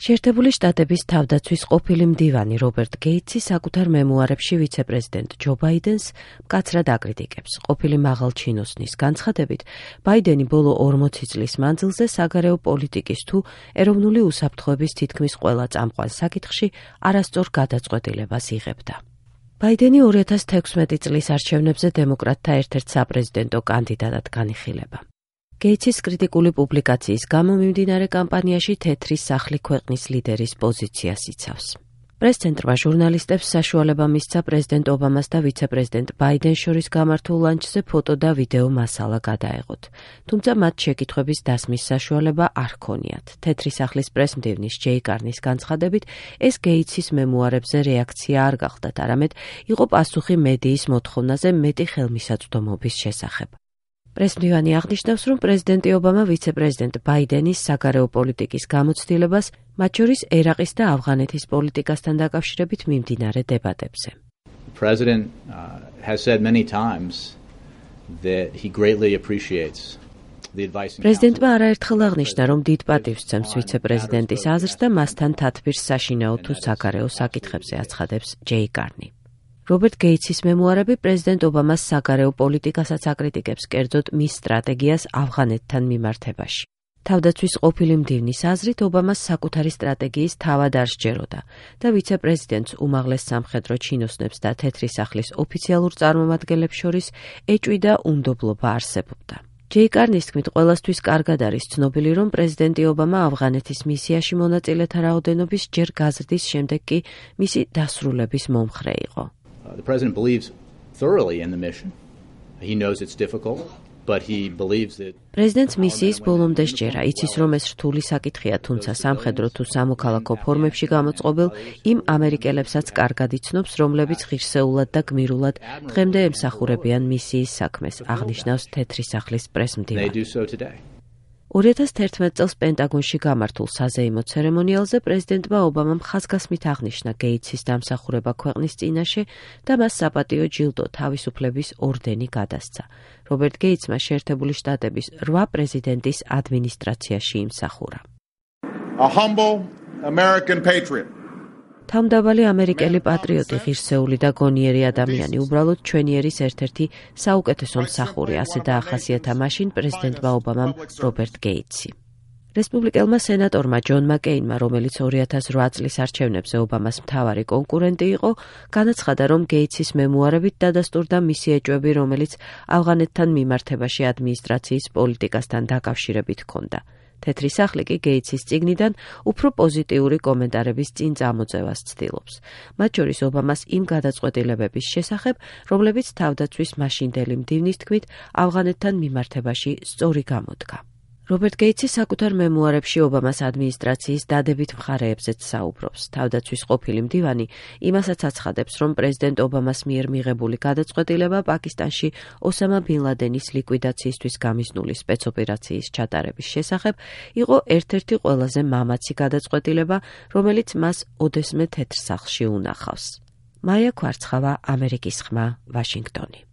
შეერთებული შტატების თავდაცვის ყოფილი მდივანი რობერტ გეიტსი საკუთარ მემუარებში ვიცე-პრეზიდენტ ჯო ბაიდენს მკაცრად აკრიტიკებს. ყოფილი მაღალჩინოსნის განცხადებით, ბაიდენი ბოლო 40 წლის მანძილზე საგარეო პოლიტიკის თუ ეროვნული უსაფრთხოების თითქმის ყველა წამყვან საკითხში არასწორ გადაწყვეტილებას იღებდა. ბაიდენი 2016 წლის არჩევნებზე დემოკრატთა ერთ-ერთ საპრეზიდენტო კანდიდატად განიხილება. გეიტსის კრიტიკული პუბლიკაციის გამო მიმდინარე კამპანიაში თეთრი სახლი ქვეყნის ლიდერის პოზიციას იცავს. პრეს-ცენტრმა ჟურნალისტებს საშუალება მისცა პრეზიდენტ ობამას და ვიცე-პრეზიდენტ ბაიდენს შორის გამართულ ლანჩზე ფოტო და ვიდეო მასალა გადაეღოთ. თუმცა მათ შეკითხვების დასმის საშუალება არ ჰქონიათ. თეთრი სახლის პრეს-მდივნის ჯეი კარნის განცხადებით, ეს გეიტსის მემუარებზე რეაქცია არ გახდათ, არამედ იყო პასუხი მედიის მოთხოვნაზე მეტი ხელმისაწვდომობის შესახებ. პრეს-მდივანი აღნიშნავს, რომ პრეზიდენტი ობამა ვიცე-პრეზიდენტ ბაიდენის საგარეო პოლიტიკის გამოცდილებას, მათ შორის ერაყის და ავღანეთის პოლიტიკასთან დაკავშირებით მიმდინარე დებატებზე. პრეზიდენტმა არაერთხელ აღნიშნა, რომ დიდ პატივს სცემს ვიცე-პრეზიდენტის აზრს და მასთან თათბირს საშინაო თუ საგარეო საკითხებზე აცხადებს ჯეი კარნი. რობერტ გეიტსის მემუარები პრეზიდენტ ობამას საგარეო პოლიტიკასაც აკრიტიკებს, კერძოდ მის სტრატეგიას ავღანეთთან მიმართებაში. თავდაცვის ყოფილი მდივნის აზრით, ობამას საკუთარი სტრატეგიის თავად არ სჯეროდა და ვიცე-პრეზიდენტს უმაღლეს სამხედრო ჩინოსნებს და თეთრი სახლის ოფიციალურ წარმომადგენლებს შორის ეჭვი და უნდობლობა არსებობდა. ჯეი კარნის თქმით, ყველასთვის კარგად არის ცნობილი, რომ პრეზიდენტი ობამა ავღანეთის მისიაში მონაწილეთა რაოდენობის ჯერ გაზრდის შემდეგ კი მისი დასრულების მომხრე იყო. The president believes thoroughly in the mission. He knows it's difficult, but he believes that პრეზიდენტს მისიის ბოლომდე სჯერა, იცის, რომ ეს რთული საკითხია, თუმცა სამხედრო თუ სამოქალაქო ფორმებში გამოწყობილ იმ ამერიკელებსაც კარგად იცნობს, რომლებიც ღირსეულად და გმირულად დღემდე ემსახურებიან მისიის საქმეს, აღნიშნავს თეთრი სახლის პრეს-მდივანი. 2011 წელს პენტაგონში გამართულ საზეიმო ცერემონიალზე პრეზიდენტმა ობამამ ხაზგასმით აღნიშნა გეიტსის დამსახურება ქვეყნის წინაშე და მას საპატიო ჯილდო თავისუფლების ორდენი გადასცა. რობერტ გეიტსმა შეერთებული შტატების 8 პრეზიდენტის ადმინისტრაციაში იმსახურა. A humble American patriot. თავმდაბალი ამერიკელი პატრიოტი, ღირსეული და გონიერი ადამიანი, უბრალოდ ჩვენი ერის ერთ-ერთი საუკეთესო მსახური, ასე დაახასიათა მაშინ პრეზიდენტმა ობამამ რობერტ გეიტსი. რესპუბლიკელმა სენატორმა ჯონ მაკეინმა, რომელიც 2008 წლის არჩევნებზე ობამას მთავარი კონკურენტი იყო, განაცხადა, რომ გეიტსის მემუარებით დადასტურდა მისი ეჭვები, რომელიც ავღანეთთან მიმართებაში ადმინისტრაციის პოლიტიკასთან დაკავშირებით ჰქონდა. თეთრი სახლი კი გეიტსის წიგნიდან უფრო პოზიტიური კომენტარების წინ წამოწევას ცდილობს. მათ შორის ობამას იმ გადაწყვეტილებების შესახებ, რომლებიც თავდაცვის მაშინდელი მდივნის თქმით ავღანეთთან მიმართებაში სწორი გამოდგა. რობერტ გეიტსი საკუთარ მემუარებში ობამას ადმინისტრაციის დადებით მხარეებზეც საუბრობს. თავდაცვის ყოფილი მდივანი იმასაც აცხადებს, რომ პრეზიდენტ ობამას მიერ მიღებული გადაწყვეტილება პაკისტანში ოსამა ბინ ლადენის ლიკვიდაციისთვის გამიზნული სპეცოპერაციის ჩატარების შესახებ იყო ერთ-ერთი ყველაზე მამაცი გადაწყვეტილება, რომელიც მას ოდესმე თეთრ სახლში უნახავს. მაია ქვარცხავა, ამერიკის ხმა, ვაშინგტონი.